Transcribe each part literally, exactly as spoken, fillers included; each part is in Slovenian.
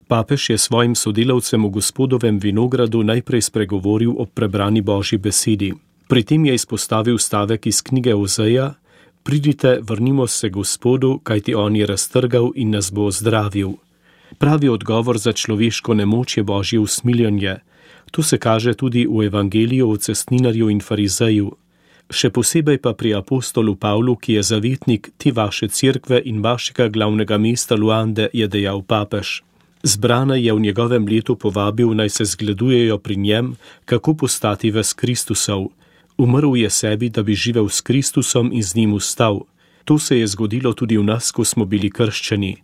Papež je svojim sodelavcem v Gospodovem vinogradu najprej spregovoril o prebrani Božji besedi. Pri tem je izpostavil stavek iz knjige Ozeja: Pridite, vrnimo se Gospodu, kajti on je raztrgal in nas bo ozdravil. Pravi odgovor za človeško nemoč je Božje usmiljenje. To se kaže tudi v evangeliju o cestninarju in farizeju. Še posebej pa pri apostolu Pavlu, ki je zavetnik te vaše cerkve in vašega glavnega mesta Luande, je dejal papež. Zbrane je v njegovem letu povabil, naj se zgledujejo pri njem, kako postati ves Kristusov. Umrl je sebi, da bi živel s Kristusom in z njim vstal. To se je zgodilo tudi v nas, ko smo bili krščeni.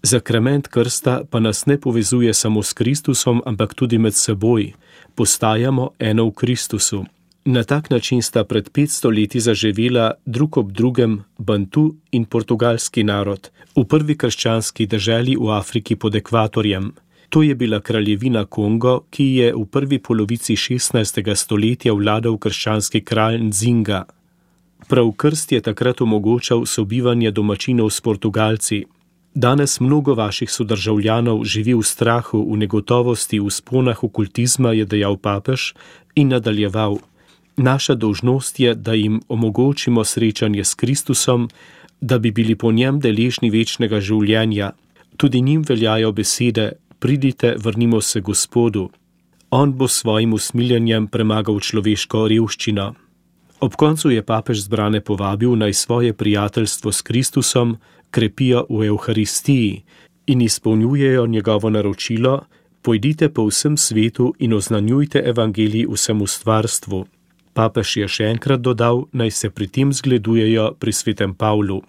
Zakrament krsta pa nas ne povezuje samo s Kristusom, ampak tudi med seboj. Postajamo eno v Kristusu. Na tak način sta pred petsto leti zaživela drug ob drugem Bantu in portugalski narod v prvi krščanski deželi v Afriki pod ekvatorjem. To je bila kraljevina Kongo, ki je v prvi polovici šestnajstega stoletja vladal krščanski kralj Nzinga. Prav krst je takrat omogočal sobivanje domačinov s Portugalci. Danes mnogo vaših sodržavljanov živi v strahu, v negotovosti, v sponah okultizma, je dejal papež in nadaljeval. Naša dolžnost je, da jim omogočimo srečanje s Kristusom, da bi bili po njem deležni večnega življenja. Tudi njim veljajo besede: Pridite, vrnimo se Gospodu. On bo s svojim usmiljenjem premagal človeško revščino. Ob koncu je papež zbrane povabil, naj svoje prijateljstvo s Kristusom krepijo v Evharistiji in izpolnjujejo njegovo naročilo: Pojdite po vsem svetu in oznanjujte evangelij vsemu stvarstvu. Papež je še enkrat dodal, naj se pri tem zgledujejo pri svetem Pavlu.